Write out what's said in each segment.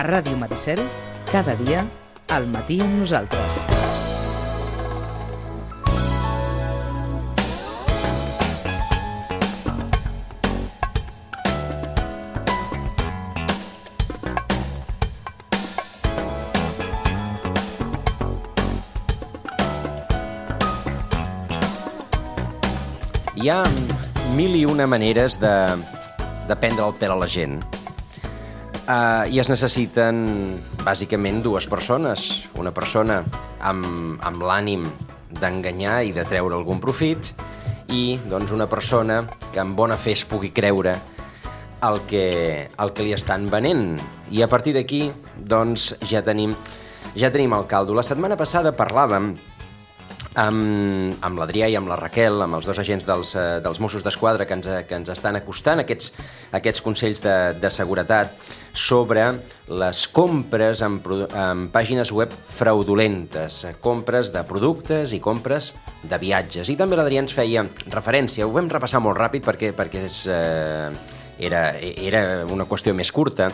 Ràdio Maricel, cada dia, al matí amb nosaltres. Hi ha mil i una maneres de prendre el pèl a la gent. I es necessiten, bàsicament, dues persones. Una persona amb l'ànim d'enganyar i de treure algun profit i, doncs, una persona que amb bona fe es pugui creure el que li estan venent. I a partir d'aquí, doncs, ja tenim el caldo. La setmana passada parlàvem amb l'Adrià i amb la Raquel, amb els dos agents dels Mossos d'Esquadra que ens estan acostant aquests consells de seguretat sobre les compres en pàgines web fraudulentes, compres de productes i compres de viatges. I també l'Adrià ens feia referència, ho vam repassar molt ràpid perquè era una qüestió més curta,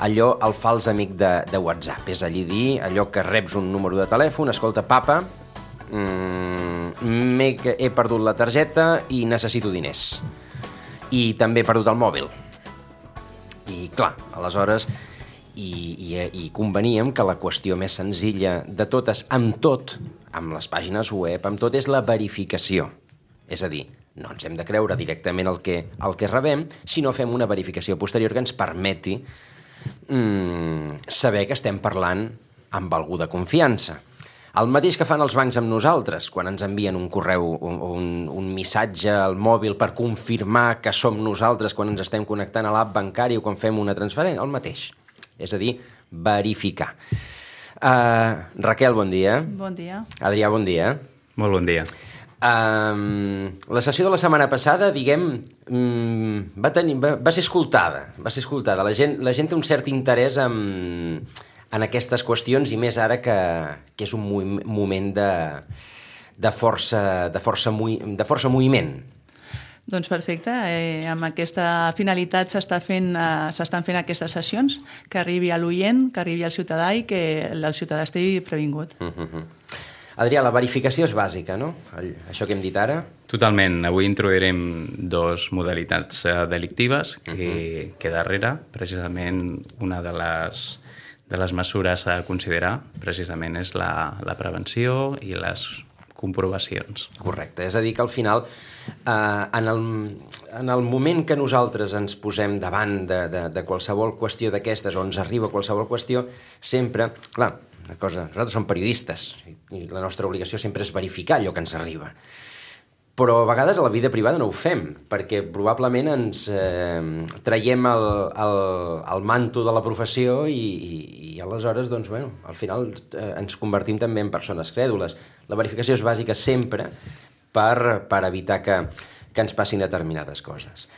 allò, el fals amic de WhatsApp, és a dir, allò que reps un número de telèfon, escolta, papa, he perdut la targeta i necessito diners. I també he perdut el mòbil. I clar, aleshores, i conveníem que la qüestió més senzilla de totes, amb les pàgines web, amb tot, és la verificació. És a dir, no ens hem de creure directament el que rebem, sinó fem una verificació posterior que ens permeti saber que estem parlant amb algú de confiança. El mateix que fan els bancs amb nosaltres, quan ens envien un correu o un missatge al mòbil per confirmar que som nosaltres quan ens estem connectant a l'app bancària o quan fem una transferència, el mateix. És a dir, verificar. Raquel, bon dia. Bon dia. Adrià, bon dia. Molt bon dia. La sessió de la setmana passada, diguem, va ser escoltada. La gent té un cert interès en aquestes qüestions i més ara que és un moment de força moviment. Doncs perfecte. Amb aquesta finalitat s'estan fent aquestes sessions, que arribi a l'oient, que arribi al ciutadà i que el ciutadà estigui previngut. Adrià, la verificació és bàsica, no? Això que hem dit ara? Totalment. Avui introduirem dos modalitats delictives que darrere, precisament, una de les mesures a considerar precisament és la prevenció i les comprovacions. Correcte, és a dir que al final en el moment que nosaltres ens posem davant de qualsevol qüestió d'aquestes o ens arriba qualsevol qüestió, sempre, clar, una cosa, nosaltres som periodistes i la nostra obligació sempre és verificar allò que ens arriba. Però a vegades a la vida privada no ho fem, perquè probablement ens traiem el manto de la professió i aleshores, doncs, bueno, al final ens convertim també en persones crèdules. La verificació és bàsica sempre per evitar que ens passin determinades coses.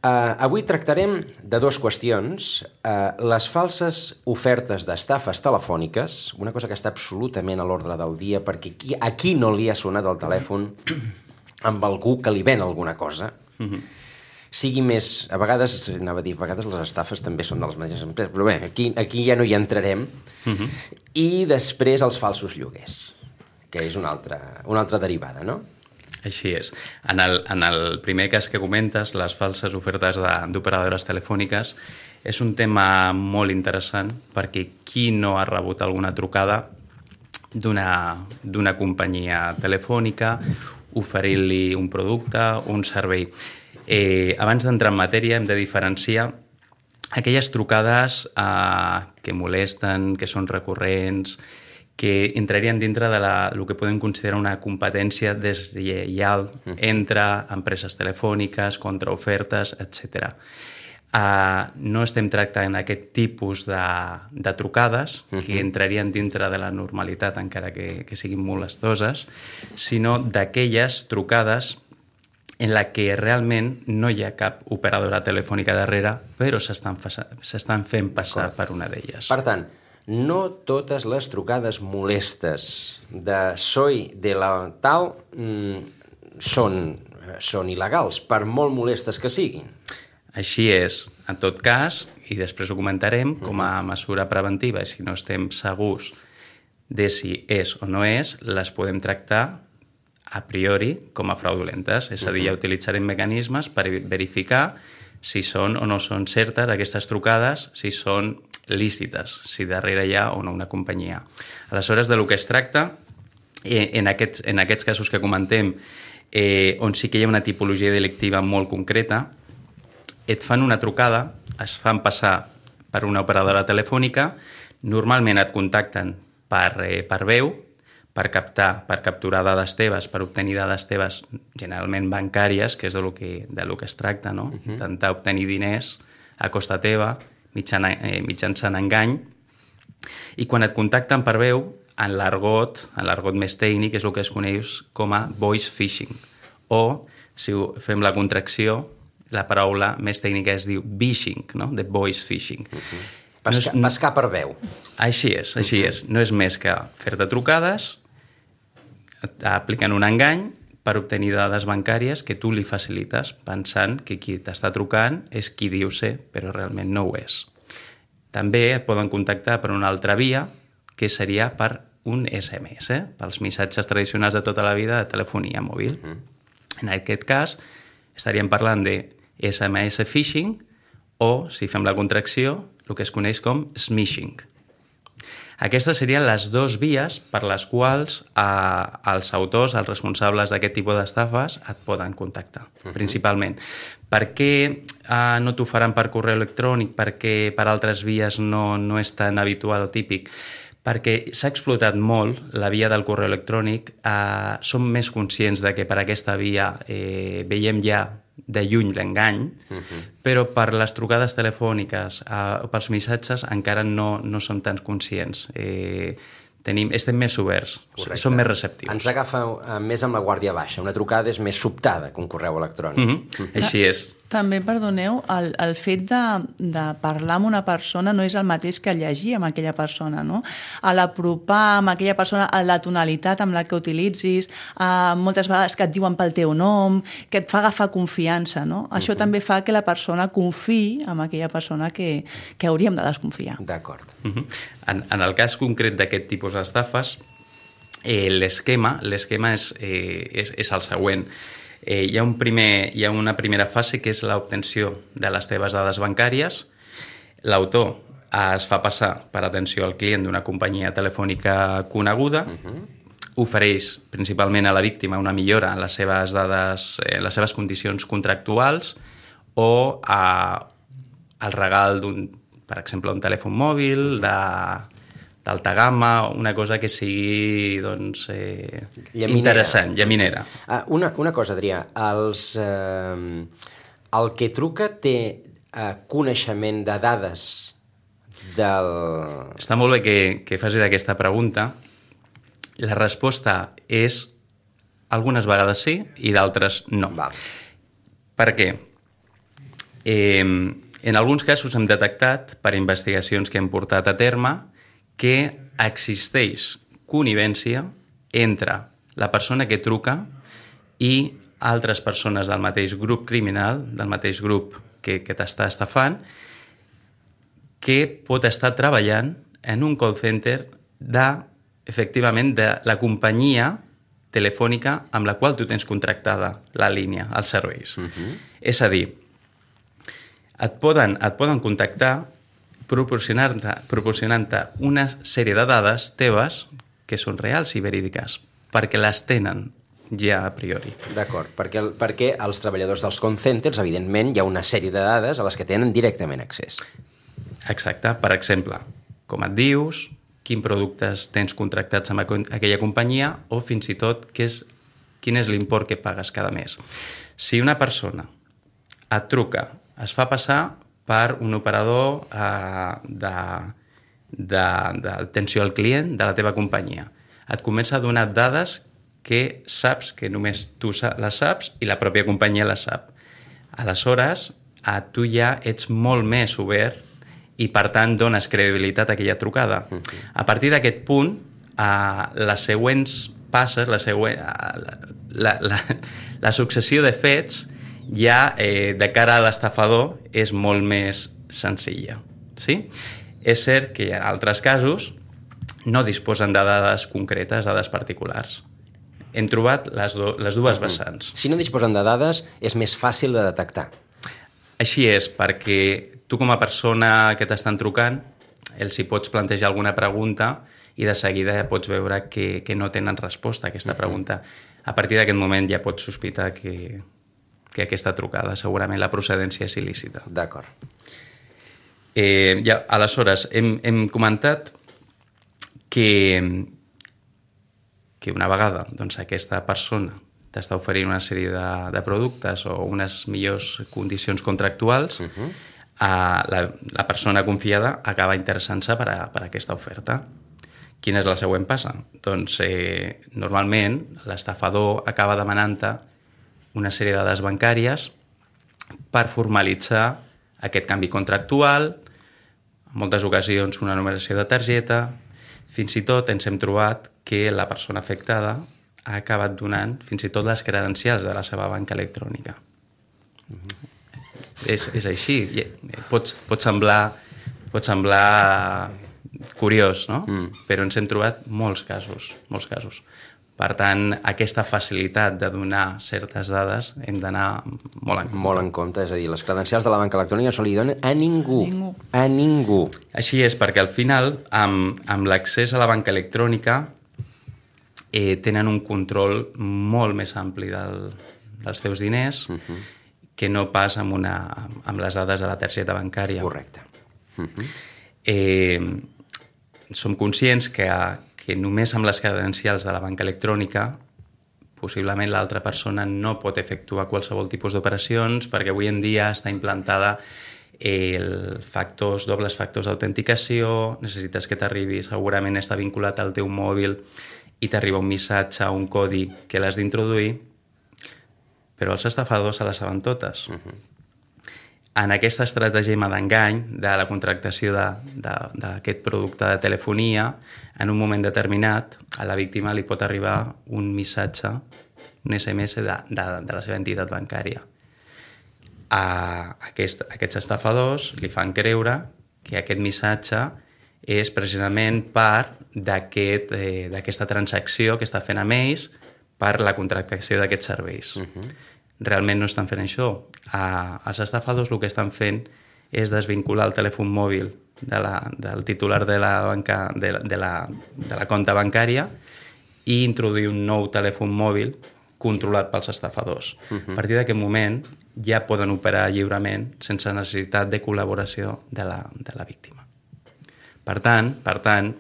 Avui tractarem de dues qüestions. Les falses ofertes d'estafes telefòniques, una cosa que està absolutament a l'ordre del dia, perquè a qui no li ha sonat el telèfon amb algú que li ven alguna cosa, sigui més... A vegades les estafes també són de les mateixes empreses, però bé, aquí ja no hi entrarem. I després els falsos lloguers, que és una altra derivada, no? Així és. En el primer cas que comentes, les falses ofertes d'operadores telefòniques, és un tema molt interessant perquè qui no ha rebut alguna trucada d'una companyia telefònica oferint-li un producte o un servei. Abans d'entrar en matèria hem de diferenciar aquelles trucades que molesten, que són recurrents, que entrarien dintre de el que podem considerar una competència deslleial entre empreses telefòniques, contraofertes, etc. No estem tractant aquest tipus de trucades que entrarien dintre de la normalitat, encara que siguin molestoses, sinó d'aquelles trucades en la que realment no hi ha cap operadora telefònica darrere, però s'estan fent passar per una d'elles. Per tant, no totes les trucades molestes de soy de la tal són il·legals, per molt molestes que siguin. Així és, en tot cas, i després ho comentarem, com a mesura preventiva, i si no estem segurs de si és o no és, les podem tractar a priori com a fraudulentes. És a dir, ja utilitzarem mecanismes per verificar si són o no són certes aquestes trucades, si són lícites, si darrere hi ha o no una companyia. Aleshores, de lo que es tracta, en aquests casos que comentem, on sí que hi ha una tipologia delictiva molt concreta, et fan una trucada, es fan passar per una operadora telefònica, normalment et contacten per veu, per capturar dades teves, per obtenir dades teves generalment bancàries, que és de lo que es tracta, no? Intentar obtenir diners a costa teva, mitjançant engany, i quan et contacten per veu, en l'argot més tècnic, és el que es coneix com a voice phishing, o, si fem la contracció, la paraula més tècnica es diu vishing, no? De voice phishing. Pescar per veu. Així és. No és més que fer-te trucades, aplicant un engany per obtenir dades bancàries que tu li facilites, pensant que qui t'està trucant és qui diu ser, però realment no ho és. També et poden contactar per una altra via, que seria per un SMS, pels missatges tradicionals de tota la vida de telefonia mòbil. En aquest cas, estaríem parlant de SMS phishing o, si fem la contracció, el que es coneix com smishing. Aquestes serien les dues vies per les quals els autors, els responsables d'aquest tipus d'estafes, et poden contactar, principalment. Per què no t'ho faran per correu electrònic? Per què per altres vies no és tan habitual o típic? Perquè s'ha explotat molt la via del correu electrònic, som més conscients de que per aquesta via veiem ja de lluny l'engany, però per les trucades telefòniques o pels missatges encara no som tan conscients. Estem més oberts, som més receptius. Ens agafa més amb la guàrdia baixa. Una trucada és més sobtada que un correu electrònic. Així és. També, perdoneu, el fet de parlar amb una persona no és el mateix que llegir amb aquella persona, no? A l'apropar amb aquella persona, a la tonalitat amb la que utilitzis, moltes vegades que et diuen pel teu nom, que et fa agafar confiança, no? Això també fa que la persona confiï en aquella persona que hauríem de desconfiar. D'acord. En el cas concret d'aquest tipus d'estafes, l'esquema és el següent. Hi ha una primera fase que és l'obtenció de les teves dades bancàries. L'autor es fa passar per atenció al client d'una companyia telefònica coneguda, ofereix principalment a la víctima una millora en les seves dades, en les seves condicions contractuals o el regal per exemple, un telèfon mòbil, d'alta gamma, una cosa que sigui interessant, llaminera. Una cosa, Adrià, el que truca té coneixement de dades del... Està molt bé que facis aquesta pregunta. La resposta és algunes vegades sí i d'altres no. Val. Per què? En alguns casos hem detectat, per investigacions que hem portat a terme, que existeix connivència entre la persona que truca i altres persones del mateix grup criminal, del mateix grup que t'està estafant, que pot estar treballant en un call center efectivament, de la companyia telefònica amb la qual tu tens contractada la línia, els serveis. És a dir, et poden contactar proporcionant-te una sèrie de dades teves que són reals i verídiques, perquè les tenen ja a priori. D'acord, perquè els treballadors dels call centers, evidentment, hi ha una sèrie de dades a les que tenen directament accés. Exacte. Per exemple, com et dius, quins productes tens contractats amb aquella companyia o fins i tot quin és l'import que pagues cada mes. Si una persona et truca, es fa passar per un operador d'atenció al client de la teva companyia. Et comença a donar dades que saps que només tu les saps i la pròpia companyia les sap. Aleshores, tu ja ets molt més obert i, per tant, dones credibilitat a aquella trucada. A partir d'aquest punt, les següents passes, la successió de fets ja de cara a l'estafador és molt més senzilla. Sí? És cert que en altres casos no disposen de dades concretes, dades particulars. Hem trobat les dues vessants. Si no disposen de dades, és més fàcil de detectar. Així és, perquè tu com a persona que t'estan trucant, els hi pots plantejar alguna pregunta i de seguida ja pots veure que no tenen resposta a aquesta pregunta. A partir d'aquest moment ja pots sospitar que aquesta trucada segurament la procedència és il·lícita. D'acord. Aleshores, hem comentat que una vegada doncs, aquesta persona t'està oferint una sèrie de productes o unes millors condicions contractuals, la persona confiada acaba interessant-se per aquesta oferta. Quina és la següent passa? Doncs normalment l'estafador acaba demanant-te una sèrie de dades bancàries per formalitzar aquest canvi contractual, en moltes ocasions una numeració de targeta, fins i tot ens hem trobat que la persona afectada ha acabat donant fins i tot les credencials de la seva banca electrònica. És així. Pot semblar curiós, no? Però ens hem trobat molts casos. Per tant, aquesta facilitat de donar certes dades hem d'anar molt en compte. Molt en compte, és a dir, les credencials de la banca electrònica no se li donen a ningú. A ningú. Així és, perquè al final, amb l'accés a la banca electrònica, tenen un control molt més ampli dels teus diners que no pas amb les dades de la targeta bancària. Correcte. Som conscients que només amb les credencials de la banca electrònica possiblement l'altra persona no pot efectuar qualsevol tipus d'operacions perquè avui en dia està implantada dobles factors d'autenticació, necessites que t'arribi, segurament està vinculat al teu mòbil i t'arriba un missatge, un codi que l'has d'introduir, però els estafadors se les saben totes. En aquesta estratègia d'engany de la contractació d'aquest producte de telefonia, en un moment determinat, a la víctima li pot arribar un missatge, un SMS de la seva entitat bancària. Aquests estafadors li fan creure que aquest missatge és precisament part d'aquesta transacció que està fent amb ells per la contractació d'aquests serveis. Realment no estan fent això. Els estafadors el que estan fent és desvincular el telèfon mòbil del titular de la compta bancària i introduir un nou telèfon mòbil controlat pels estafadors. A partir d'aquest moment ja poden operar lliurement sense necessitat de col·laboració de la víctima. Per tant,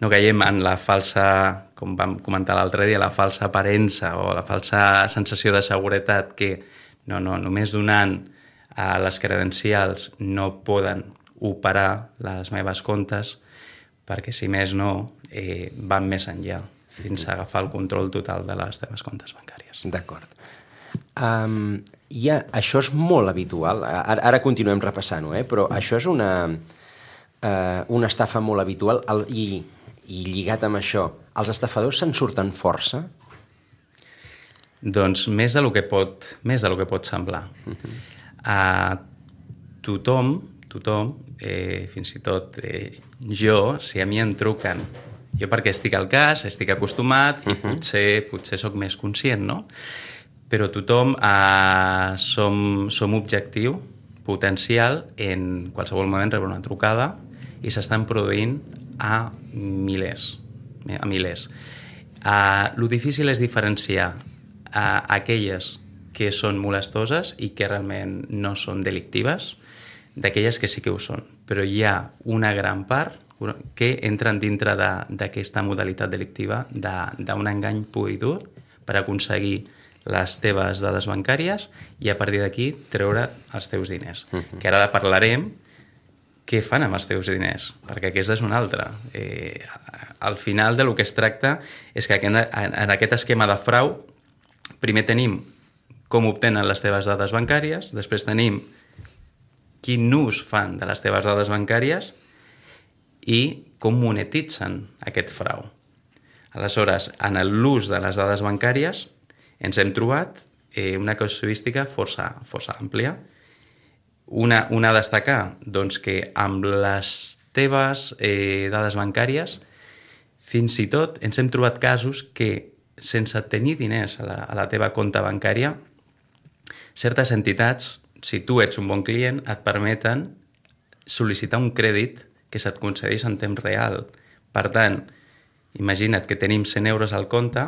no caiem en la falsa, com vam comentar l'altre dia, la falsa aparença o la falsa sensació de seguretat que només donant les credencials no poden operar les meves comptes perquè, si més no, van més enllà fins a agafar el control total de les teves comptes bancàries. D'acord. Això és molt habitual. Ara continuem repassant-ho, però això és una estafa molt habitual i lligat amb això, els estafadors se'n surten força? Doncs més del que pot semblar. Tothom, fins i tot jo, si a mi em truquen, jo perquè estic al cas, estic acostumat i potser sóc més conscient, no? Però tothom som objectiu potencial en qualsevol moment rebre una trucada i s'estan produint a milers. Lo difícil és diferenciar aquelles que són molestoses i que realment no són delictives d'aquelles que sí que ho són. Però hi ha una gran part que entren dintre d'aquesta modalitat delictiva d'un engany pur i dur per aconseguir les teves dades bancàries i a partir d'aquí treure els teus diners. Que ara parlarem què fan amb els teus diners, perquè aquesta és una altra. Al final del que es tracta és que en aquest esquema de frau primer tenim com obtenen les teves dades bancàries, després tenim quin ús fan de les teves dades bancàries i com monetitzen aquest frau. Aleshores, en l'ús de les dades bancàries ens hem trobat una casuística força àmplia. Una a destacar, doncs, que amb les teves dades bancàries, fins i tot ens hem trobat casos que, sense tenir diners a la teva compte bancària, certes entitats, si tu ets un bon client, et permeten sol·licitar un crèdit que se't concedeix en temps real. Per tant, imagina't que tenim 100 euros al compte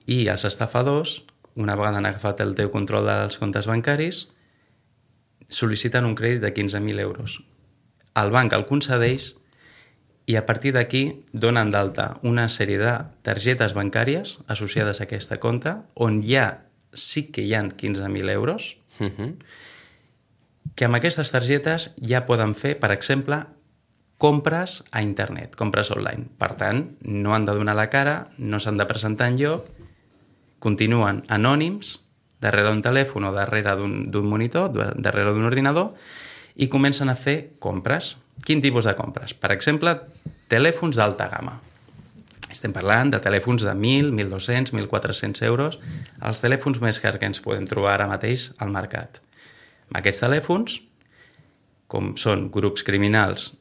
i els estafadors, una vegada han agafat el teu control dels comptes bancaris, sol·liciten un crèdit de 15.000 euros. El banc el concedeix i a partir d'aquí donen d'alta una sèrie de targetes bancàries associades a aquesta compte on sí que hi ha 15.000 euros que amb aquestes targetes ja poden fer, per exemple, compres a internet, compres online. Per tant, no han de donar la cara, no s'han de presentar enlloc, continuen anònims darrere d'un telèfon o darrere d'un monitor, darrere d'un ordinador, i comencen a fer compres. Quin tipus de compres? Per exemple, telèfons d'alta gamma. Estem parlant de telèfons de 1.000, 1.200, 1.400 euros, els telèfons més cars que ens podem trobar ara mateix al mercat. Amb aquests telèfons, com són grups criminals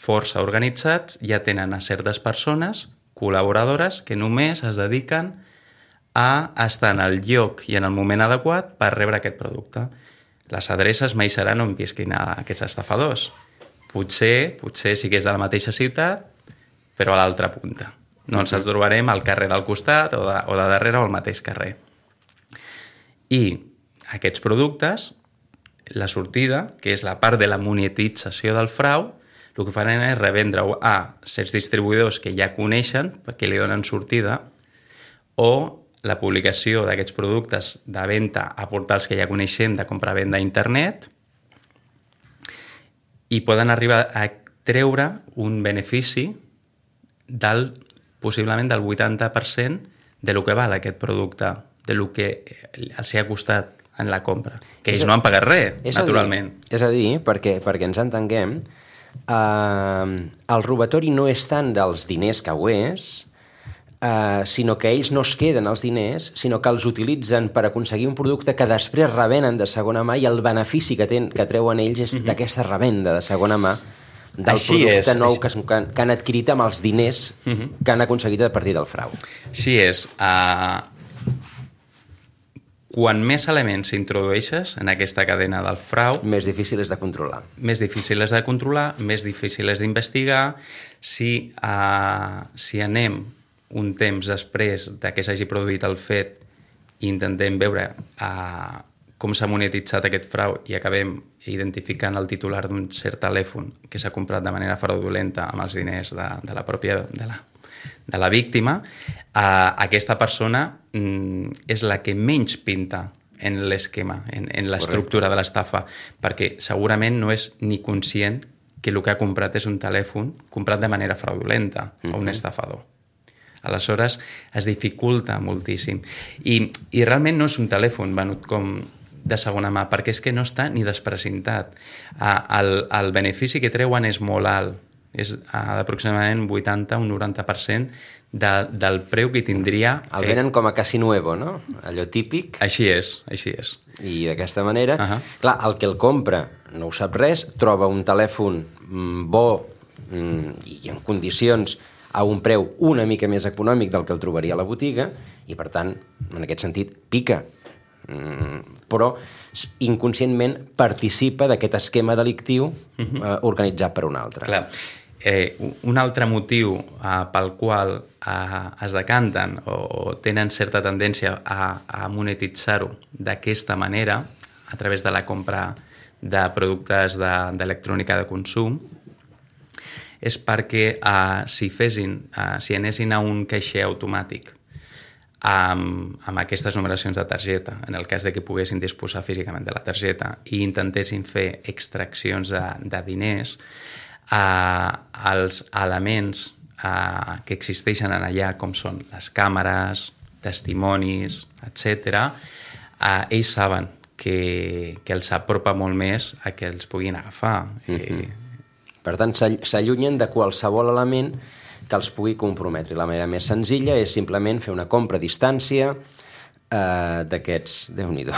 força organitzats, ja tenen a certes persones, col·laboradores, que només es dediquen a estar en el lloc i en el moment adequat per rebre aquest producte. Les adreces mai seran on visquin aquests estafadors. Potser sí que és de la mateixa ciutat, però a l'altra punta. No ens els trobarem al carrer del costat o de darrere o al mateix carrer. I aquests productes, la sortida, que és la part de la monetització del frau, el que faran és revendre-ho a certs distribuïdors que ja coneixen, perquè li donen sortida, o la publicació d'aquests productes de venda a portals que ja coneixem de compra-venda a internet, i poden arribar a treure un benefici possiblement del 80% de lo que val aquest producte, de lo que els ha costat en la compra. Que ells no han pagat res, naturalment. És a dir, perquè ens entenguem, el robatori no és tant dels diners que ho és, sinó que ells no es queden els diners, sinó que els utilitzen per aconseguir un producte que després revenen de segona mà i el benefici que treuen ells és d'aquesta revenda de segona mà del producte nou que han adquirit amb els diners que han aconseguit a partir del frau. Així és. Quan més elements introdueixes en aquesta cadena del frau... Més difícil és de controlar. Més difícil és de controlar, més difícil és d'investigar. Si anem un temps després de que s'hagi produït el fet i intentem veure com s'ha monetitzat aquest frau i acabem identificant el titular d'un cert telèfon que s'ha comprat de manera fraudulenta amb els diners de la víctima, aquesta persona és la que menys pinta en l'esquema, en l'estructura de l'estafa, perquè segurament no és ni conscient que el que ha comprat és un telèfon comprat de manera fraudulenta a un estafador. Aleshores, es dificulta moltíssim. I realment no és un telèfon venut com de segona mà, perquè és que no està ni desprecintat. El benefici que treuen és molt alt, és d'aproximadament 80 o un 90% del preu que tindria... El venen com a casi nuevo, no? Allò típic. Així és. I d'aquesta manera, clar, el que el compra no ho sap res, troba un telèfon bo i en condicions a un preu una mica més econòmic del que el trobaria a la botiga i, per tant, en aquest sentit, pica. Però inconscientment participa d'aquest esquema delictiu organitzat per un altre. Clar. Un altre motiu pel qual es decanten o tenen certa tendència a monetitzar-ho d'aquesta manera, a través de la compra de productes d'electrònica de consum, és perquè si anessin a un caixer automàtic amb aquestes numeracions de targeta, en el cas de que poguessin disposar físicament de la targeta i intentessin fer extraccions de diners, els elements que existeixen allà, com són les càmeres, testimonis, etc., ells saben que els apropa molt més a que els puguin agafar. Per tant, s'allunyen de qualsevol element que els pugui comprometre. La manera més senzilla és simplement fer una compra a distància, d'aquests, Déu-n'hi-do.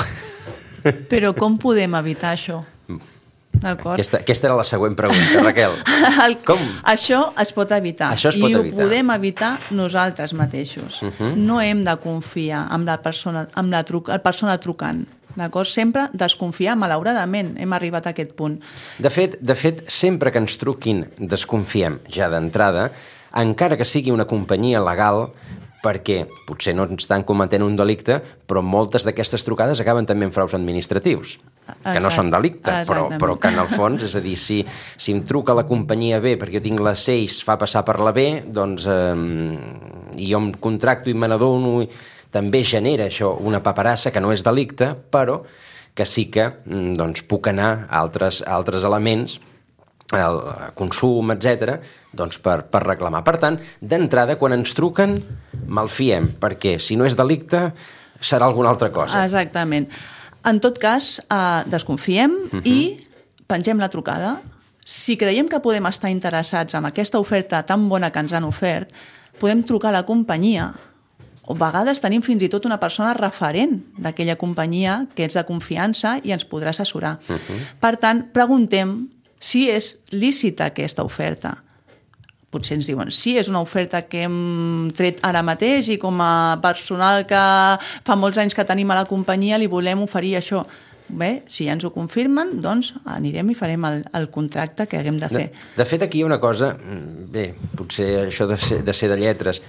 Però com podem evitar això? D'acord? Aquesta era la següent pregunta, Raquel. Com? Això es pot evitar. Això es pot I evitar. ho podem evitar nosaltres mateixos. No hem de confiar en la persona trucant. D'acord? Sempre desconfiar, malauradament, hem arribat a aquest punt. De fet, sempre que ens truquin desconfiem ja d'entrada, encara que sigui una companyia legal, perquè potser no ens estan cometent un delicte, però moltes d'aquestes trucades acaben també en fraus administratius, que no són delicte, però que en el fons, és a dir, si em truca la companyia B perquè jo tinc la C i es fa passar per la B, doncs, i jo em contracto i me n'adono, també genera això una paperassa que no és delicte, però que sí que doncs, puc anar a altres elements, el consum, etc., doncs per reclamar. Per tant, d'entrada, quan ens truquen, malfiem, perquè si no és delicte, serà alguna altra cosa. Exactament. En tot cas, desconfiem i pengem la trucada. Si creiem que podem estar interessats en aquesta oferta tan bona que ens han ofert, podem trucar a la companyia. O a vegades tenim fins i tot una persona referent d'aquella companyia que és de confiança i ens podrà assessorar. Per tant, preguntem si és lícita aquesta oferta. Potser ens diuen, sí, és una oferta que hem tret ara mateix i com a personal que fa molts anys que tenim a la companyia li volem oferir això. Bé, si ja ens ho confirmen, doncs anirem i farem el contracte que haguem de fer. De fet, aquí hi ha una cosa, bé, potser això de ser de lletres,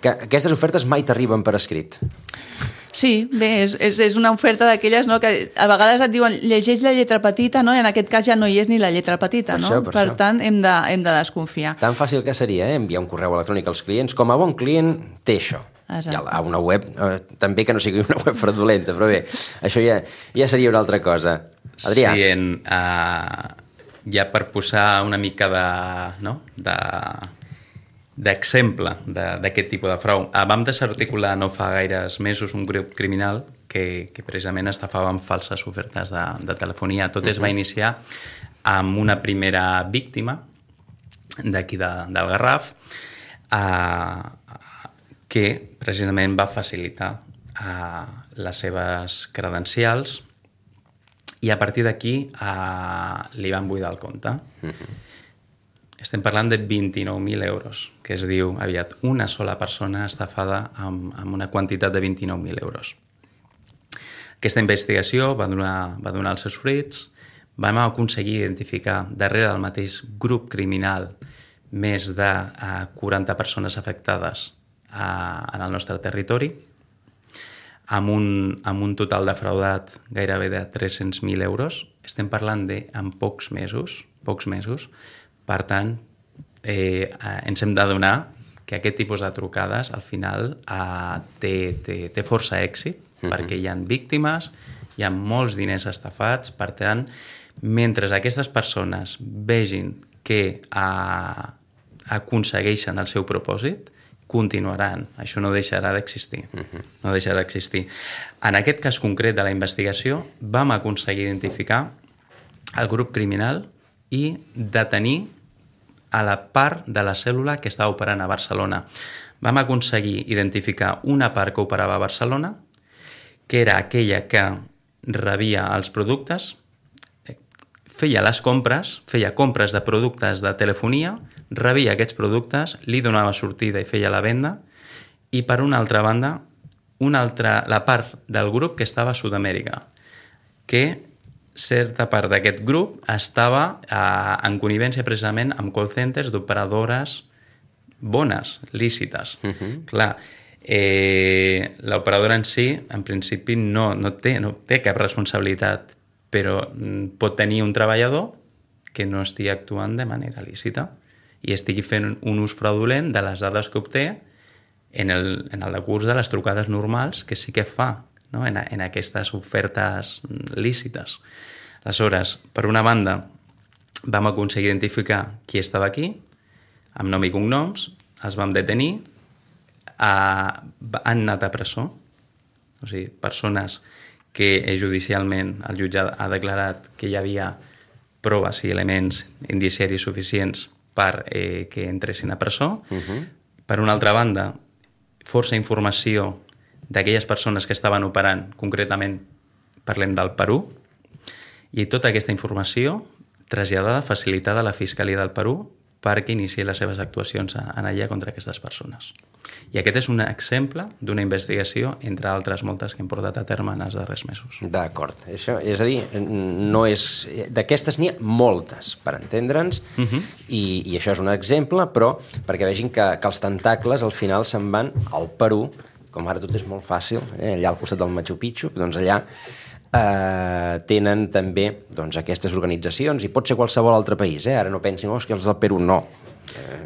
que aquestes ofertes mai t'arriben per escrit. Sí, bé, és una oferta d'aquelles, no, que a vegades et diuen llegeix la lletra petita, no? I en aquest cas ja no hi és ni la lletra petita, no? Per tant, hem de desconfiar. Tan fàcil que seria enviar un correu electrònic als clients. Com a bon client, té això. Exacte. A una web, també que no sigui una web fraudulenta, però bé, això ja seria una altra cosa. Adrià. Sí, ja per posar una mica d'exemple d'aquest tipus de frau. Vam desarticular no fa gaires mesos un grup criminal que precisament estafava amb falses ofertes de telefonia. Tot es va iniciar amb una primera víctima d'aquí del Garraf que precisament va facilitar les seves credencials i a partir d'aquí li van buidar el compte. Estem parlant de 29.000 euros, que es diu aviat una sola persona estafada amb una quantitat de 29.000 euros. Aquesta investigació va donar els seus fruits, vam aconseguir identificar darrere del mateix grup criminal més de 40 persones afectades en el nostre territori, amb un total defraudat gairebé de 300.000 euros. Estem parlant en pocs mesos. Per tant, ens hem d'adonar que aquest tipus de trucades al final té força èxit, perquè hi ha víctimes, hi ha molts diners estafats. Per tant, mentre aquestes persones vegin que aconsegueixen el seu propòsit, continuaran. Això no deixarà d'existir. No deixarà d'existir. En aquest cas concret de la investigació, vam aconseguir identificar el grup criminal i detenir a la part de la cèl·lula que estava operant a Barcelona. Vam aconseguir identificar una part que operava a Barcelona, que era aquella que rebia els productes, feia compres de productes de telefonia, rebia aquests productes, li donava sortida i feia la venda, i per una altra banda, la part del grup que estava a Sud-amèrica, que certa part d'aquest grup estava en connivència precisament amb call centers d'operadores bones, lícites. Clar, l'operadora en si, en principi, no té cap responsabilitat, però pot tenir un treballador que no estigui actuant de manera lícita i estigui fent un ús fraudulent de les dades que obté en el decurs de les trucades normals que sí que fa, no? en aquestes ofertes lícites. Aleshores, per una banda, vam aconseguir identificar qui estava aquí, amb nom i cognoms, els vam detenir, han anat a presó, o sigui, persones que judicialment el jutge ha declarat que hi havia proves i elements indiciaris suficients per que entressin a presó. Per una altra banda, força informació d'aquelles persones que estaven operant, concretament parlem del Perú, i tota aquesta informació traslladada, facilitada a la Fiscalia del Perú perquè iniciï les seves actuacions en allà contra aquestes persones. I aquest és un exemple d'una investigació, entre altres moltes que hem portat a terme en els darrers mesos. D'acord. Això, és a dir, no és... d'aquestes n'hi ha moltes, per entendre'ns, i això és un exemple, però perquè vegin que els tentacles al final se'n van al Perú, com ara tot és molt fàcil, allà al costat del Machu Picchu, doncs allà tenen també doncs, aquestes organitzacions, i pot ser qualsevol altre país, ara no pensin, que els del Perú no.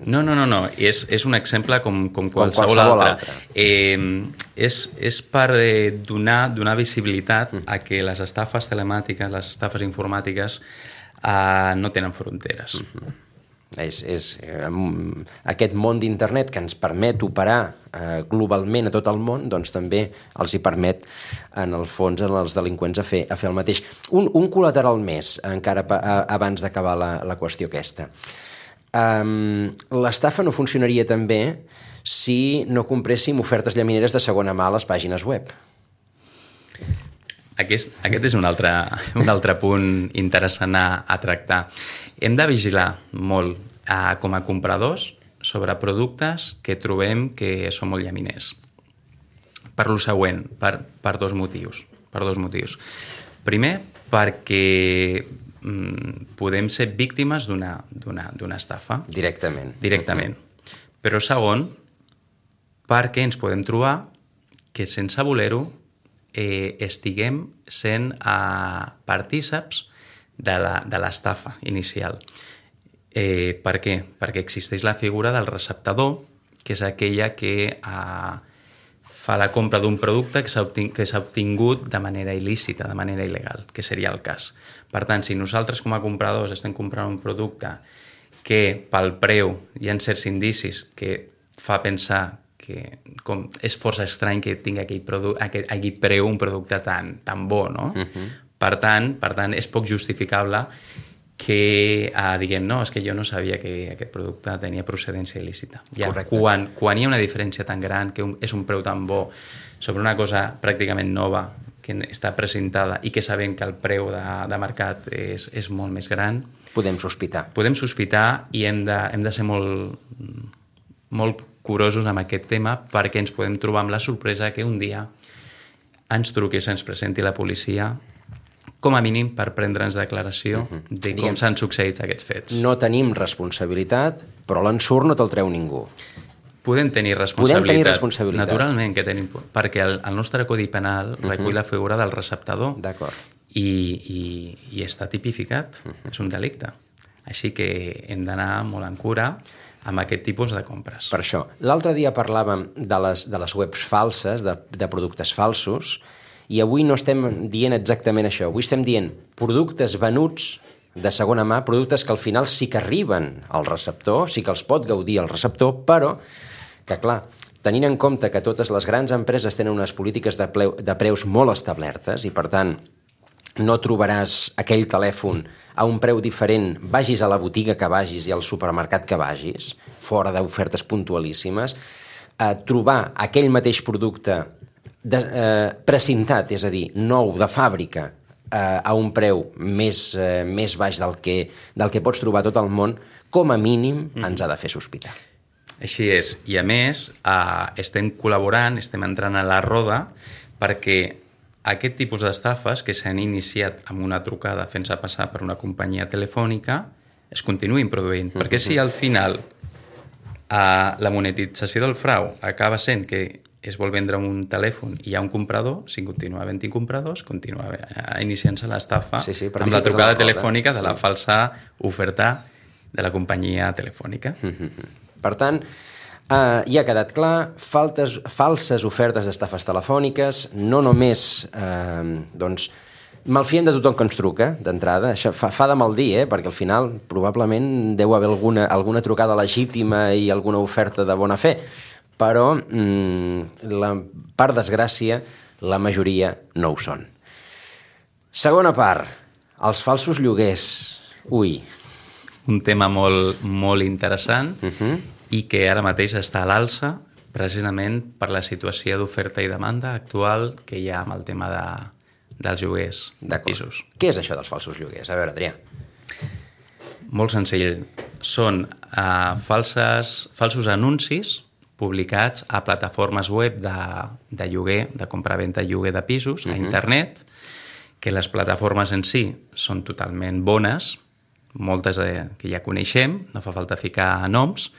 No. És un exemple com qualsevol altre. És per donar visibilitat a que les estafes telemàtiques, les estafes informàtiques no tenen fronteres. Aquest món d'internet que ens permet operar globalment a tot el món, doncs també els hi permet en el fons als delinqüents a fer el mateix. Un col·lateral més encara abans d'acabar la qüestió aquesta. L'estafa no funcionaria també si no compréssim ofertes llamineres de segona mà a les pàgines web. Aquest és un altre punt interessant a tractar. Hem de vigilar molt com a compradors sobre productes que trobem que són molt llaminers. Per lo següent, per dos motius. Primer, perquè podem ser víctimes d'una estafa. Directament. Però segon, perquè ens podem trobar que sense voler-ho estiguem sent partíceps de l'estafa inicial. Per què? Perquè existeix la figura del receptador, que és aquella que fa la compra d'un producte que s'ha obtingut de manera il·lícita, de manera il·legal, que seria el cas. Per tant, si nosaltres com a compradors estem comprant un producte que pel preu hi ha certs indicis que fa pensar que és força estrany que tingui aquell preu un producte tan bo, no? Per tant, és poc justificable que diguem, no, és que jo no sabia que aquest producte tenia procedència il·lícita. Quan hi ha una diferència tan gran, que és un preu tan bo sobre una cosa pràcticament nova que està presentada i que sabem que el preu de mercat és molt més gran, podem sospitar. I hem de ser molt curosos amb aquest tema, perquè ens podem trobar amb la sorpresa que un dia ens truqui, ens presenti la policia, com a mínim per prendre'ns declaració de com s'han succeït aquests fets. No tenim responsabilitat, però l'ensurt no te'l treu ningú. Podem tenir responsabilitat. Naturalment que tenim, perquè el nostre Codi Penal recull la figura del receptador. D'acord. I està tipificat, és un delicte. Així que hem d'anar molt en cura amb aquest tipus de compres. Per això. L'altre dia parlàvem de les webs falses, de productes falsos, i avui no estem dient exactament això. Avui estem dient productes venuts de segona mà, productes que al final sí que arriben al receptor, sí que els pot gaudir el receptor, però que, clar, tenint en compte que totes les grans empreses tenen unes polítiques de preus molt establertes i, per tant, no trobaràs aquell telèfon a un preu diferent, vagis a la botiga que vagis i al supermercat que vagis, fora d'ofertes puntualíssimes, trobar aquell mateix producte precintat, és a dir, nou, de fàbrica, a un preu més baix del que pots trobar a tot el món, com a mínim ens ha de fer sospitar. Així és. I a més, estem col·laborant, estem entrant a la roda, perquè aquest tipus d'estafes que s'han iniciat amb una trucada fent-se passar per una companyia telefònica es continuïn produint. Perquè si al final la monetització del frau acaba sent que es vol vendre un telèfon i hi ha un comprador, si continua havent-hi compradors, continua iniciant-se l'estafa amb la trucada telefònica de la falsa oferta de la companyia telefònica. Per tant, ja ha quedat clar, falses ofertes d'estafes telefòniques, no només malfiem de tothom que ens truca, d'entrada, això fa de mal dir, perquè al final probablement deu haver alguna trucada legítima i alguna oferta de bona fe, però per desgràcia la majoria no ho són. Segona part, els falsos lloguers. Ui. Un tema molt interessant i que ara mateix està a l'alça precisament per la situació d'oferta i demanda actual que hi ha amb el tema dels lloguers de pisos. Què és això dels falsos lloguers? A veure, Adrià. Molt senzill. Són falsos anuncis publicats a plataformes web de lloguer, de compra-venta i lloguer de pisos, a internet, que les plataformes en si són totalment bones, moltes que ja coneixem, no fa falta ficar noms.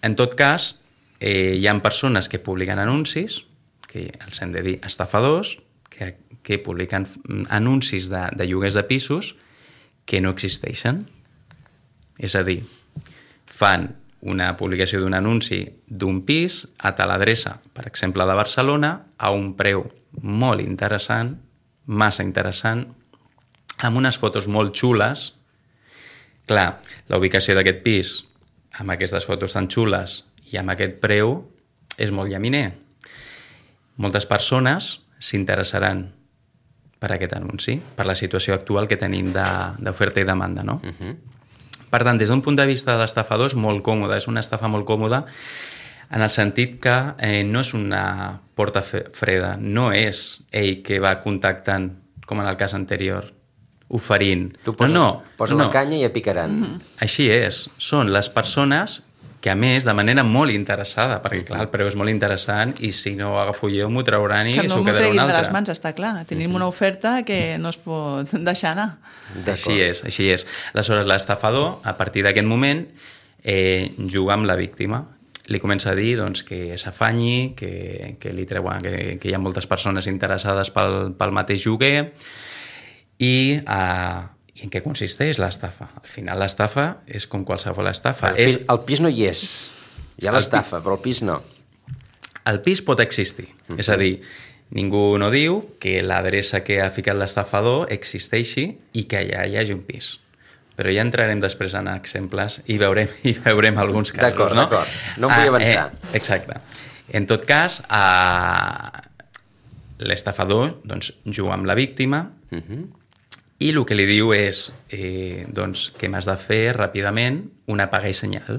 En tot cas, hi ha persones que publiquen anuncis, que els hem de dir estafadors, que publiquen anuncis de lloguers de pisos que no existeixen. És a dir, fan una publicació d'un anunci d'un pis a tal adreça, per exemple, de Barcelona, a un preu molt interessant, massa interessant, amb unes fotos molt xules. Clar, la ubicació d'aquest pis, amb aquestes fotos tan xules i amb aquest preu, és molt llaminer. Moltes persones s'interessaran per aquest anunci, per la situació actual que tenim d'oferta i demanda, no? Per tant, des d'un punt de vista de l'estafador és molt còmode, és una estafa molt còmoda en el sentit que no és una porta freda, no és ell que va contactant, com en el cas anterior, oferint. Tu posa la canya i ja picaran. Així és. Són les persones que, a més, de manera molt interessada, perquè, clar, el preu és molt interessant i si no ho agafo jo m'ho trauran i s'ho quedarà un altre. Que no m'ho treguin de les mans, està clar. Tenim una oferta que no es pot deixar anar. Així és, així és. Aleshores, l'estafador, a partir d'aquest moment, juga amb la víctima. Li comença a dir doncs, que s'afanyi, que li treuen, que hi ha moltes persones interessades pel mateix lloguer i en què consisteix l'estafa. Al final l'estafa és com qualsevol estafa. El pis no hi és. Hi ha l'estafa, però el pis no. El pis pot existir. És a dir, ningú no diu que l'adreça que ha ficat l'estafador existeixi i que allà hi hagi un pis. Però ja entrarem després en exemples i veurem alguns casos. D'acord, no? D'acord. No em vull avançar. Exacte. En tot cas, l'estafador doncs, juga amb la víctima i el que li diu és doncs, que m'has de fer ràpidament una paga i senyal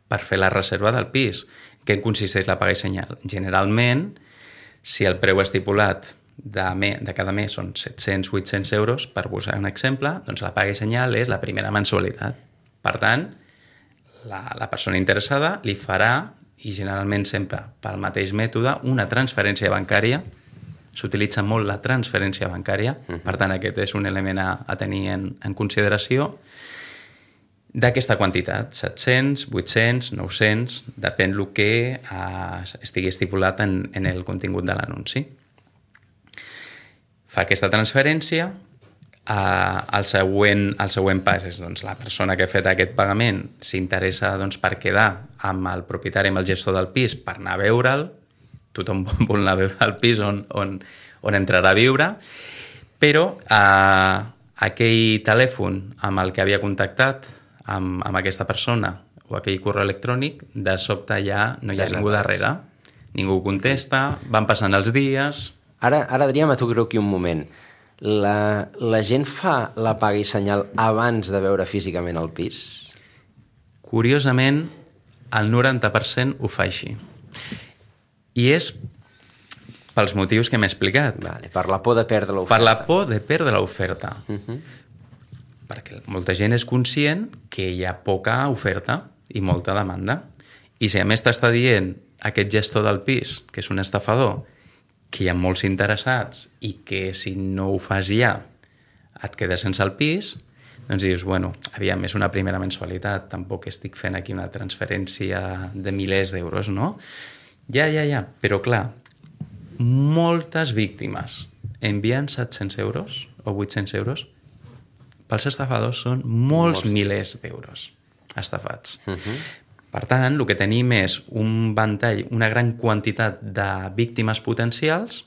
per fer la reserva del pis. Què consisteix la paga i senyal? Generalment, si el preu estipulat de cada mes són 700-800 euros, per posar un exemple, doncs la paga i senyal és la primera mensualitat. Per tant, la persona interessada li farà, i generalment sempre pel mateix mètode, una transferència bancària. S'utilitza molt la transferència bancària, per tant aquest és un element a tenir en consideració, d'aquesta quantitat, 700, 800, 900, depèn del que estigui estipulat en el contingut de l'anunci. Fa aquesta transferència, el següent pas és doncs, la persona que ha fet aquest pagament s'interessa doncs, per quedar amb el propietari, amb el gestor del pis, per anar a veure'l. Tothom vol anar a veure el pis on entrarà a viure, però aquell telèfon amb el que havia contactat amb aquesta persona o aquell correu electrònic, de sobte ja no hi ha ningú darrere. Ningú contesta, van passant els dies. Ara Adrià, m'aturo aquí un moment. La gent fa la paga i senyal abans de veure físicament el pis? Curiosament, el 90% ho fa així. I és pels motius que m'he explicat. Vale, per la por de perdre l'oferta. Per la por de perdre l'oferta. Perquè molta gent és conscient que hi ha poca oferta i molta demanda. I si a més t'està dient aquest gestor del pis, que és un estafador, que hi ha molts interessats i que si no ho fas ja et quedes sense el pis, doncs dius, bueno, aviam, és una primera mensualitat, tampoc estic fent aquí una transferència de milers d'euros, no? Ja, però clar, moltes víctimes envien 700 euros o 800 euros, pels estafadors són molts milers d'euros estafats. Per tant, el que tenim és un ventall, una gran quantitat de víctimes potencials,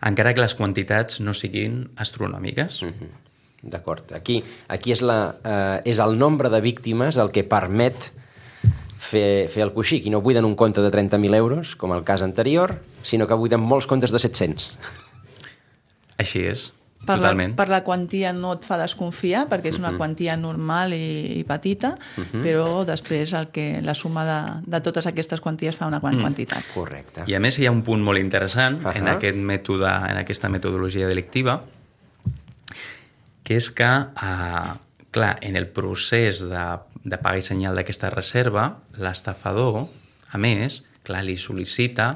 encara que les quantitats no siguin astronòmiques. D'acord. Aquí és el nombre de víctimes el que permet fer el coixí. I no buiden un compte de 30.000 euros, com el cas anterior, sinó que buiden molts comptes de 700. Així és. Totalment. Per la quantia no et fa desconfiar, perquè és una quantia normal i petita, però després la suma de totes aquestes quanties fa una gran quantitat. Correcte. I a més hi ha un punt molt interessant en aquest mètode, en aquesta metodologia delictiva, que és que, clar, en el procés de paga i senyal d'aquesta reserva, l'estafador, a més, clar, li sol·licita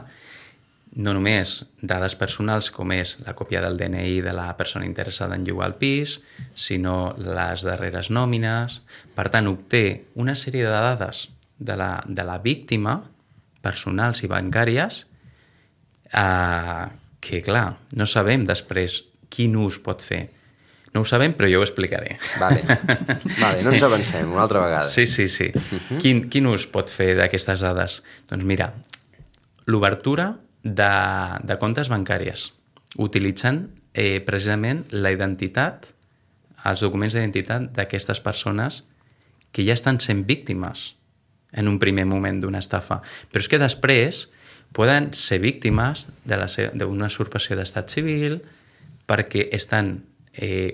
no només dades personals com és la còpia del DNI de la persona interessada en llogar el pis, sinó les darreres nòmines. Per tant, obté una sèrie de dades de la víctima, personals i bancàries, que, clar, no sabem després quin ús pot fer. No ho sabem, però jo ho explicaré. Vale, no ens avancem, una altra vegada. Sí. Quin ús pot fer d'aquestes dades? Doncs mira, l'obertura de comptes bancàries, utilitzant precisament la identitat, els documents d'identitat d'aquestes persones que ja estan sent víctimes en un primer moment d'una estafa. Però és que després poden ser víctimes d'una usurpació d'estat civil perquè estan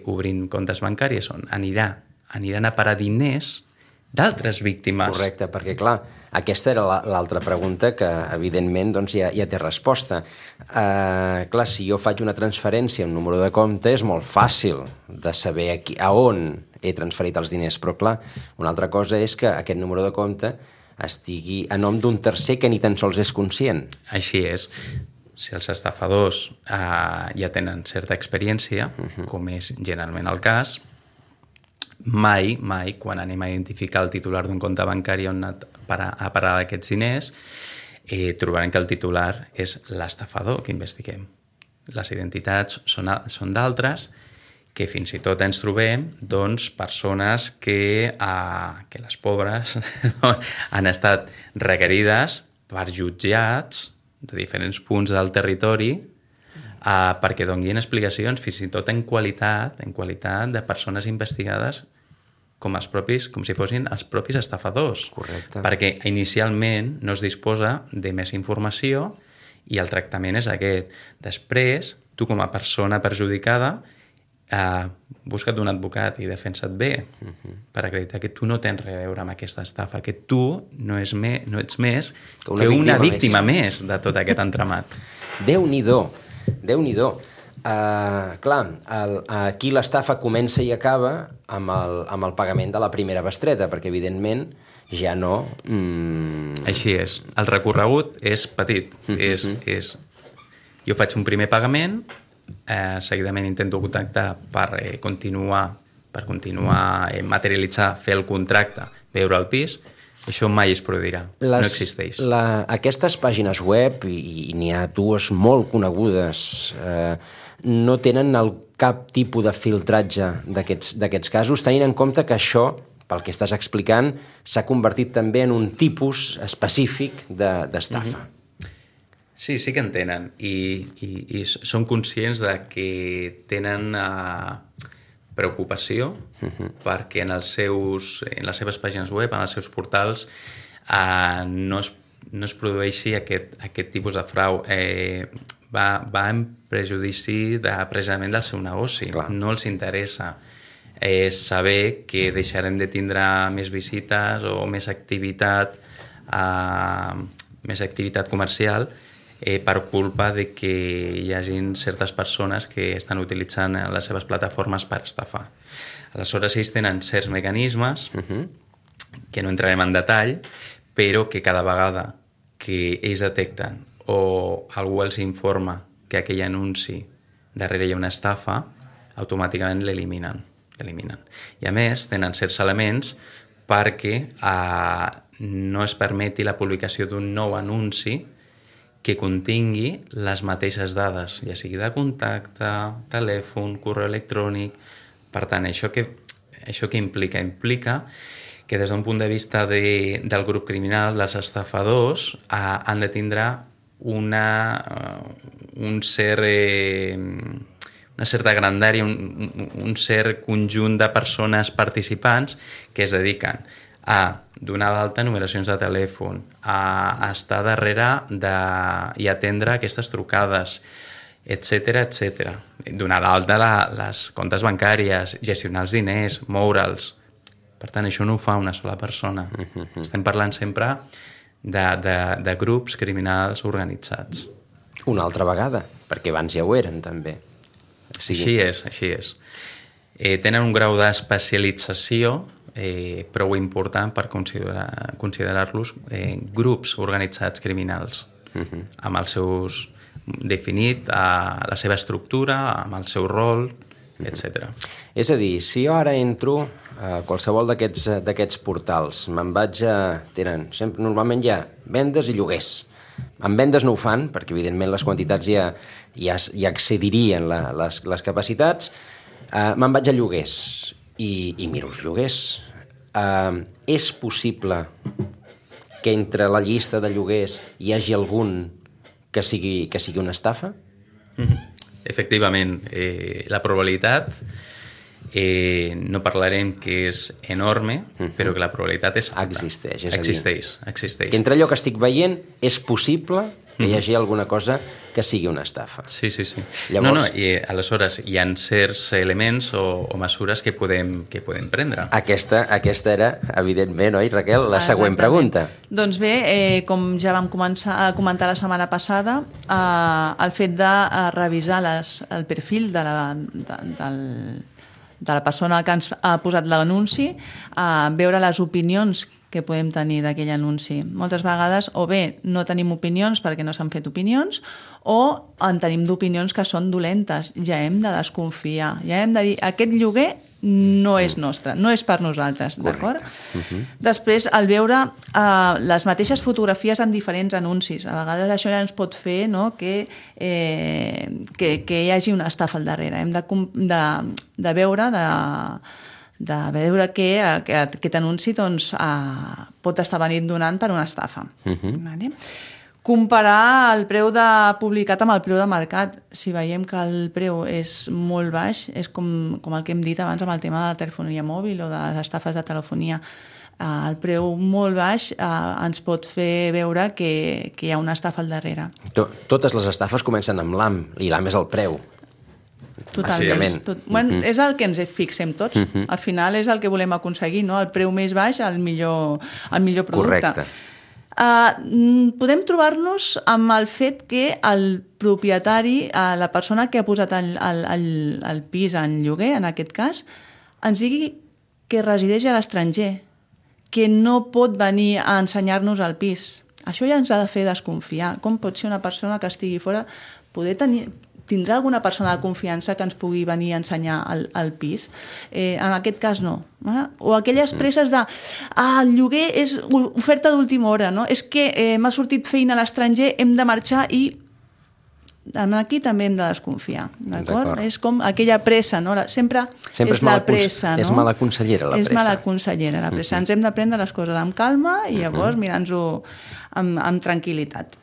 obrint comptes bancaris on aniran a parar diners d'altres víctimes. Correcte, perquè clar, aquesta era l'altra pregunta que evidentment doncs, ja té resposta. Clar, si jo faig una transferència a un número de compte és molt fàcil de saber a on he transferit els diners, però clar, una altra cosa és que aquest número de compte estigui a nom d'un tercer que ni tan sols és conscient. Així és. Si els estafadors ja tenen certa experiència, com és generalment el cas, mai, quan anem a identificar el titular d'un compte bancari on ha parar aquests diners, trobarem que el titular és l'estafador que investiguem. Les identitats són d'altres, que fins i tot ens trobem doncs, persones que les pobres han estat requerides per jutjats de diferents punts del territori perquè donguin explicacions fins i tot en qualitat de persones investigades com si fossin els propis estafadors. Correcte. Perquè inicialment no es disposa de més informació i el tractament és aquest. Després, tu com a persona perjudicada busca't un advocat i defensa't bé per acreditar que tu no tens res a veure amb aquesta estafa, que tu no ets més que una víctima més de tot aquest entramat. Déu-n'hi-do. Clar, aquí l'estafa comença i acaba amb el pagament de la primera bestreta, perquè evidentment ja no... Així és. El recorregut és petit. Jo faig un primer pagament, seguidament intento contactar per continuar materialitzar, fer el contracte, veure el pis. Això mai es produirà, no existeix. Aquestes pàgines web, i n'hi ha dues molt conegudes, no tenen cap tipus de filtratge d'aquests casos, tenint en compte que això, pel que estàs explicant, s'ha convertit també en un tipus específic d'estafa. Sí que en tenen i són conscients de que tenen preocupació perquè en les seves pàgines web, en els seus portals, no es produeixi aquest tipus de frau. Va en prejudici precisament del seu negoci. Clar. No els interessa saber que deixarem de tindre més visites o més activitat comercial per culpa de que hi hagin certes persones que estan utilitzant les seves plataformes per estafar. Aleshores, ells tenen certs mecanismes que no entrarem en detall, però que cada vegada que ells detecten o algú els informa que aquell anunci darrere hi ha una estafa, automàticament l'eliminen. I a més, tenen certs elements perquè no es permeti la publicació d'un nou anunci que contingui les mateixes dades, ja sigui de contacte, telèfon, correu electrònic. Per tant, això que implica? Implica que des d'un punt de vista del grup criminal, els estafadors han de tindre una certa grandària, un cert conjunt de persones participants que es dediquen a donar d'alta numeracions de telèfon, a estar darrere i atendre aquestes trucades, etc. Donar d'alta les comptes bancàries, gestionar els diners, moure'ls. Per tant, això no ho fa una sola persona. Estem parlant sempre de grups criminals organitzats. Una altra vegada, perquè abans ja ho eren, també. Així és. Tenen un grau d'especialització prou important per considerar-los grups organitzats criminals, amb els seus definit la seva estructura, amb el seu rol, etc. És a dir, si jo ara entro a qualsevol d'aquests portals, me'n vaig a... Normalment hi ha vendes i lloguers. En vendes no ho fan, perquè evidentment les quantitats ja excedirien les capacitats. Me'n vaig a lloguers i miro els lloguers. És possible que entre la llista de lloguers hi hagi algun que sigui una estafa? Efectivament, la probabilitat no parlarem que és enorme, però que la probabilitat és alta. Existeix. Que entre allò que estic veient és possible que hi hagi alguna cosa que sigui una estafa. Sí. Llavors... I aleshores hi ha certs elements o mesures que podem prendre. Aquesta era, evidentment, oi, Raquel, la següent pregunta. Doncs bé, com ja vam començar a comentar la setmana passada, el fet de revisar el perfil de la persona que ens ha posat l'anunci, veure les opinions que podem tenir d'aquell anunci. Moltes vegades o bé no tenim opinions perquè no s'han fet opinions o en tenim d'opinions que són dolentes. Ja hem de desconfiar, ja hem de dir aquest lloguer no és nostre, no és per nosaltres, d'acord? Després, al veure les mateixes fotografies en diferents anuncis, a vegades això ja ens pot fer, no, que hi hagi una estafa al darrere. Hem de veure que aquest anunci doncs, pot estar venint donant per una estafa. Vale? Comparar el preu publicat amb el preu de mercat. Si veiem que el preu és molt baix, és com el que hem dit abans amb el tema de la telefonia mòbil o de les estafes de telefonia. El preu molt baix ens pot fer veure que hi ha una estafa al darrere. Totes les estafes comencen amb l'AM, i l'AM és el preu. Totalment. És el que ens fixem tots. Al final és el que volem aconseguir, no? El preu més baix, el millor producte. Correcte. Podem trobar-nos amb el fet que el propietari, la persona que ha posat el pis en lloguer, en aquest cas, ens digui que resideix a l'estranger, que no pot venir a ensenyar-nos el pis. Això ja ens ha de fer desconfiar. Com pot ser una persona que estigui fora tindrà alguna persona de confiança que ens pugui venir a ensenyar el pis? En aquest cas no. O aquelles presses de el lloguer és oferta d'última hora, no? És que m'ha sortit feina a l'estranger, hem de marxar i aquí també hem de desconfiar, d'acord? És com aquella pressa, no? Sempre és la pressa, no? És mala consellera, la pressa. És mala consellera, la pressa. Ens hem de prendre les coses amb calma i llavors mirar-nos-ho amb tranquil·litat.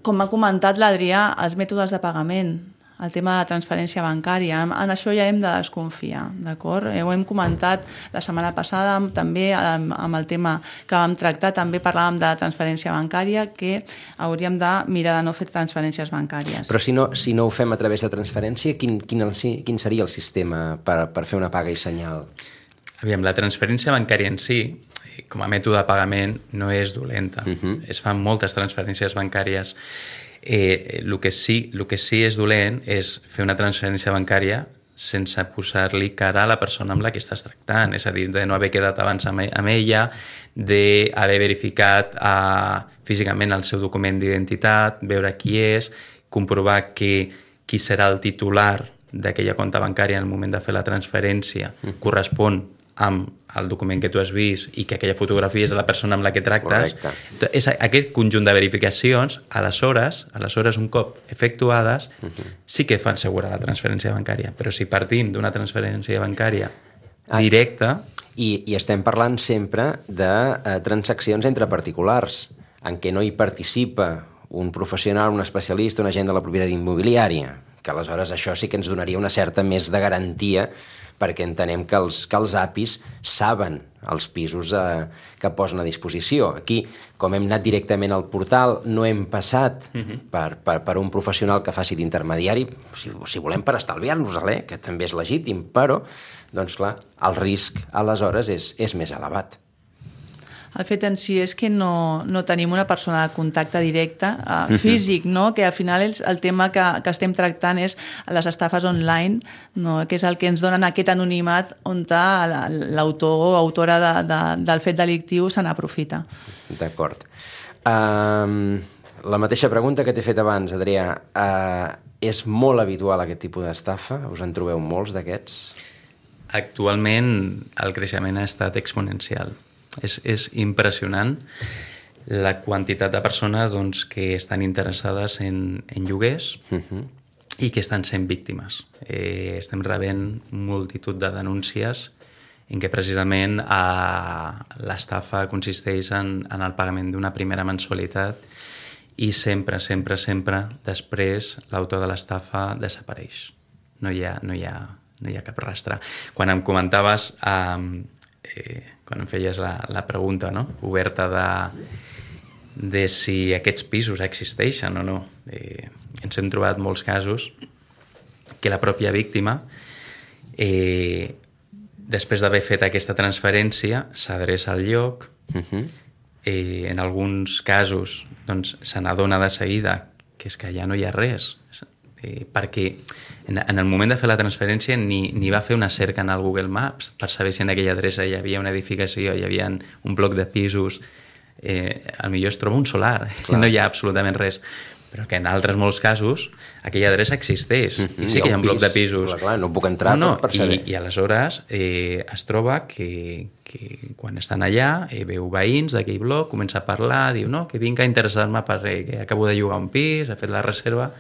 Com ha comentat l'Adrià, els mètodes de pagament, el tema de transferència bancària, en això ja hem de desconfiar, d'acord? Ho hem comentat la setmana passada, també amb el tema que vam tractar, també parlàvem de transferència bancària, que hauríem de mirar de no fer transferències bancàries. Però si no ho fem a través de transferència, quin seria el sistema per fer una paga i senyal? Aviam, la transferència bancària en si, com a mètode de pagament, no és dolenta. Es fan moltes transferències bancàries. El que sí és dolent és fer una transferència bancària sense posar-li cara a la persona amb la que estàs tractant. És a dir, de no haver quedat abans amb ella, d'haver verificat físicament el seu document d'identitat, veure qui és, comprovar qui serà el titular d'aquella compte bancària en el moment de fer la transferència correspon amb el document que tu has vist i que aquella fotografia és de la persona amb la que tractes. Correcte. És aquest conjunt de verificacions, aleshores un cop efectuades, sí que fan segura la transferència bancària. Però si partim d'una transferència bancària directa... I estem parlant sempre de transaccions entre particulars, en què no hi participa un professional, un especialista, un agent de la propietat immobiliària, que aleshores això sí que ens donaria una certa més de garantia perquè entenem que els APIs saben els pisos que posen a disposició. Aquí, com hem anat directament al portal, no hem passat per un professional que faci d'intermediari, si volem per estalviar-nos-la, que també és legítim, però, doncs clar, el risc aleshores és més elevat. El fet en si és que no tenim una persona de contacte directe físic, no? Que al final el tema que estem tractant és les estafes online, no? Que és el que ens donen aquest anonimat on l'autor o autora del fet delictiu se n'aprofita. D'acord. La mateixa pregunta que t'he fet abans, Adrià. És molt habitual aquest tipus d'estafa? Us en trobeu molts d'aquests? Actualment el creixement ha estat exponencial. És impressionant la quantitat de persones doncs, que estan interessades en lloguers i que estan sent víctimes. Estem rebent multitud de denúncies en què precisament l'estafa consisteix en el pagament d'una primera mensualitat i sempre després l'autor de l'estafa desapareix. No hi ha cap rastre. Quan em comentaves... quan em feies la pregunta, no? Oberta de si aquests pisos existeixen o no. Ens hem trobat molts casos que la pròpia víctima, després d'haver fet aquesta transferència, s'adreça al lloc, en alguns casos doncs, se n'adona de seguida que és que ja no hi ha res, perquè en el moment de fer la transferència ni va fer una cerca en el Google Maps per saber si en aquella adreça hi havia una edificació, hi havia un bloc de pisos, potser es troba un solar, no hi ha absolutament res, però que en altres molts casos aquella adreça existeix i sí que hi ha un bloc de pisos. Clar, no puc entrar per saber. I aleshores es troba que quan estan allà veu veïns d'aquell bloc, comença a parlar, diu no, que vinc a interessar-me perquè acabo de llogar un pis, ha fet la reserva,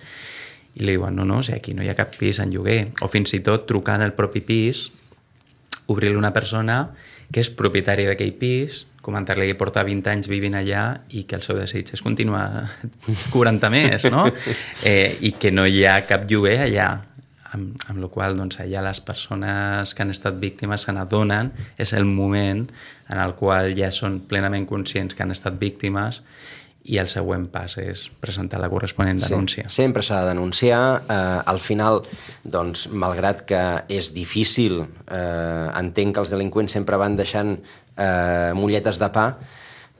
i li diuen, no, si aquí no hi ha cap pis en lloguer. O fins i tot trucant al propi pis, obrir-li una persona que és propietària d'aquell pis, comentar-li que porta 20 anys vivint allà i que el seu desig és continuar cobrant més, no? I que no hi ha cap lloguer allà. Amb la qual cosa, doncs, allà les persones que han estat víctimes se n'adonen, és el moment en el qual ja són plenament conscients que han estat víctimes i el següent pas és presentar la corresponent denúncia. Sí, sempre s'ha de denunciar. Al final, doncs, malgrat que és difícil, entenc que els delinqüents sempre van deixant molletes de pa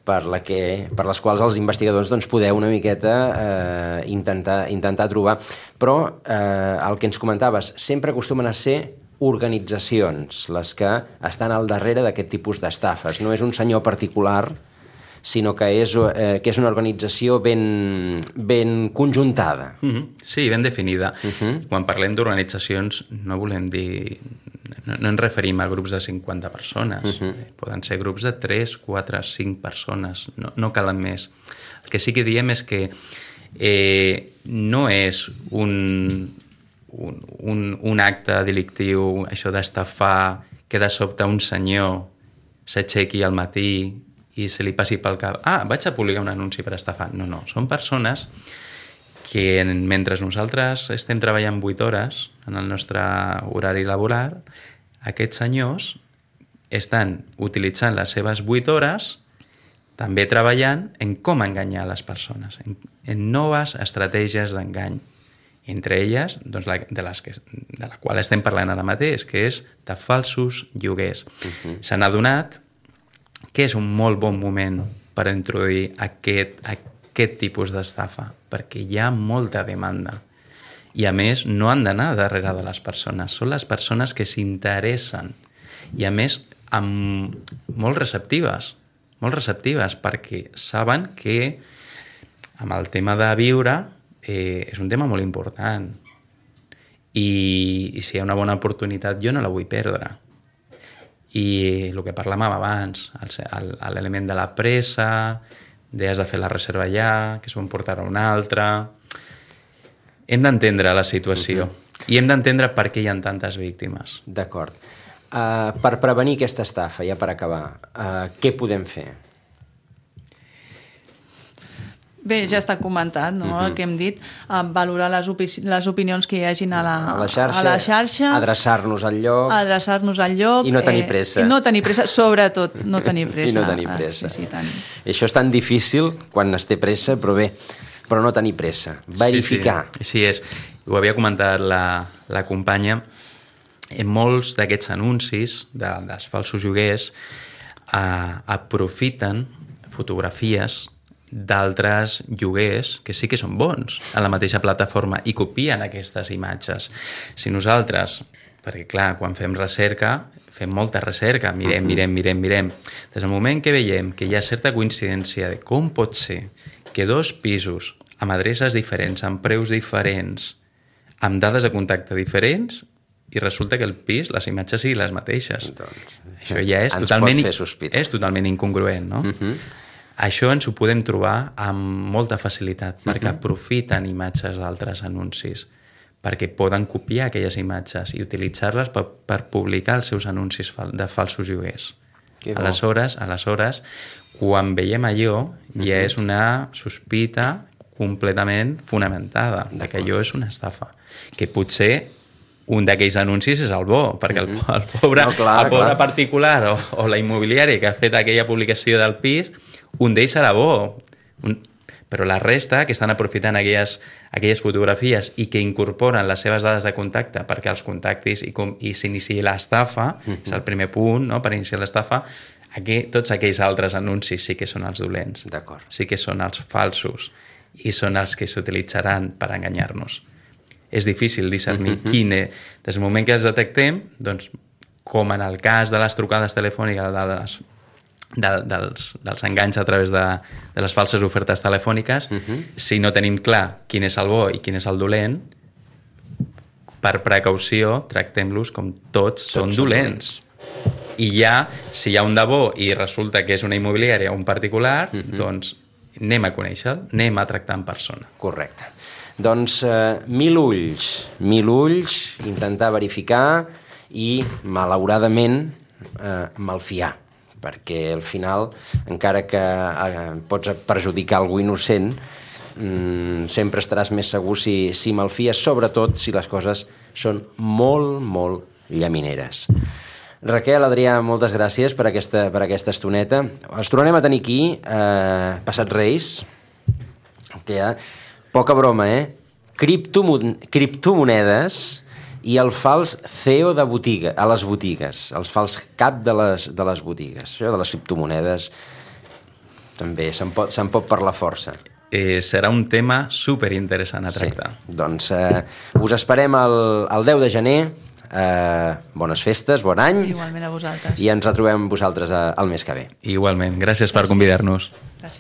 per les quals els investigadors doncs, podeu una miqueta intentar trobar. Però el que ens comentaves, sempre acostumen a ser organitzacions les que estan al darrere d'aquest tipus d'estafes. No és un senyor particular, sinó que és una organització ben conjuntada. Sí, ben definida. Quan parlem d'organitzacions no volem dir... No ens referim a grups de 50 persones. Poden ser grups de 3, 4, 5 persones. No calen més. El que sí que diem és que no és un acte delictiu, això d'estafar, que de sobte un senyor s'aixequi al matí i se li passi pel cap, vaig a publicar un anunci per estafar. No, són persones que mentre nosaltres estem treballant 8 hores en el nostre horari laboral, aquests senyors estan utilitzant les seves 8 hores també treballant en com enganyar les persones, en noves estratègies d'engany. Entre elles, doncs, de la qual estem parlant ara mateix, que és de falsos lloguers. S'han adonat que és un molt bon moment per introduir aquest tipus d'estafa, perquè hi ha molta demanda. I a més, no han d'anar darrere de les persones, són les persones que s'interessen. I a més, molt receptives, perquè saben que amb el tema de viure és un tema molt important. I si hi ha una bona oportunitat, jo no la vull perdre. I el que parlàvem abans, l'element de la pressa, has de fer la reserva ja, que s'ho emportarà una altra... Hem d'entendre la situació i hem d'entendre per què hi ha tantes víctimes. D'acord. Per prevenir aquesta estafa, ja per acabar, què podem fer? Bé, ja està comentat, no? El que hem dit, valorar les opinions que hi hagin a la xarxa, adreçar-nos al lloc, i no tenir pressa. I no tenir pressa, sobretot, no tenir pressa. I no tenir pressa. Sí, tant. Això és tan difícil quan es té pressa, però bé, però no tenir pressa. Verificar. Sí, és. Ho havia comentat la companya. En molts d'aquests anuncis dels falsos lloguers aprofiten fotografies d'altres lloguers que sí que són bons a la mateixa plataforma i copien aquestes imatges. Si nosaltres, perquè clar, quan fem recerca, fem molta recerca, mirem. Des del moment que veiem que hi ha certa coincidència de com pot ser que dos pisos amb adreces diferents, amb preus diferents, amb dades de contacte diferents, i resulta que el pis, les imatges siguin les mateixes. Doncs, això ja és totalment incongruent, no? Això ens ho podem trobar amb molta facilitat, perquè aprofiten imatges d'altres anuncis, perquè poden copiar aquelles imatges i utilitzar-les per publicar els seus anuncis de falsos lloguers. Aleshores, quan veiem allò, ja és una sospita completament fonamentada de que allò és una estafa, que potser un d'aquells anuncis és el bo, perquè el pobre particular o la immobiliària que ha fet aquella publicació del pis, un d'ells serà bo, però la resta, que estan aprofitant aquelles fotografies i que incorporen les seves dades de contacte perquè els contactis i s'iniciï l'estafa, és el primer punt, no?, per iniciar l'estafa, tots aquells altres anuncis sí que són els dolents, sí que són els falsos i són els que s'utilitzaran per enganyar-nos. És difícil discernir quin és. Des del moment que els detectem, doncs, com en el cas de les trucades telefòniques, dels enganys a través de les falses ofertes telefòniques, si no tenim clar quin és el bo i quin és el dolent, per precaució tractem-los com tots són dolents. I ja, si hi ha un de bo i resulta que és una immobiliària o un particular, doncs anem a conèixer-lo, anem a tractar en persona. Correcte. Doncs 1000 ulls, intentar verificar i, malauradament, malfiar, perquè al final, encara que pots perjudicar algú innocent, sempre estaràs més segur si malfies, sobretot si les coses són molt, molt llamineres. Raquel, Adrià, moltes gràcies per aquesta estoneta. Els tornarem a tenir aquí, passat Reis, que ja... Poca broma, criptomonedes i el fals CEO de botiga, a les botigues, els fals cap de les botigues. Això de les criptomonedes també se'n pot parlar força. Serà un tema superinteressant a tractar. Sí, doncs us esperem el 10 de gener. Bones festes, bon any. Igualment a vosaltres. I ens retrobem amb vosaltres el mes que ve. Igualment, gràcies per convidar-nos. Gràcies.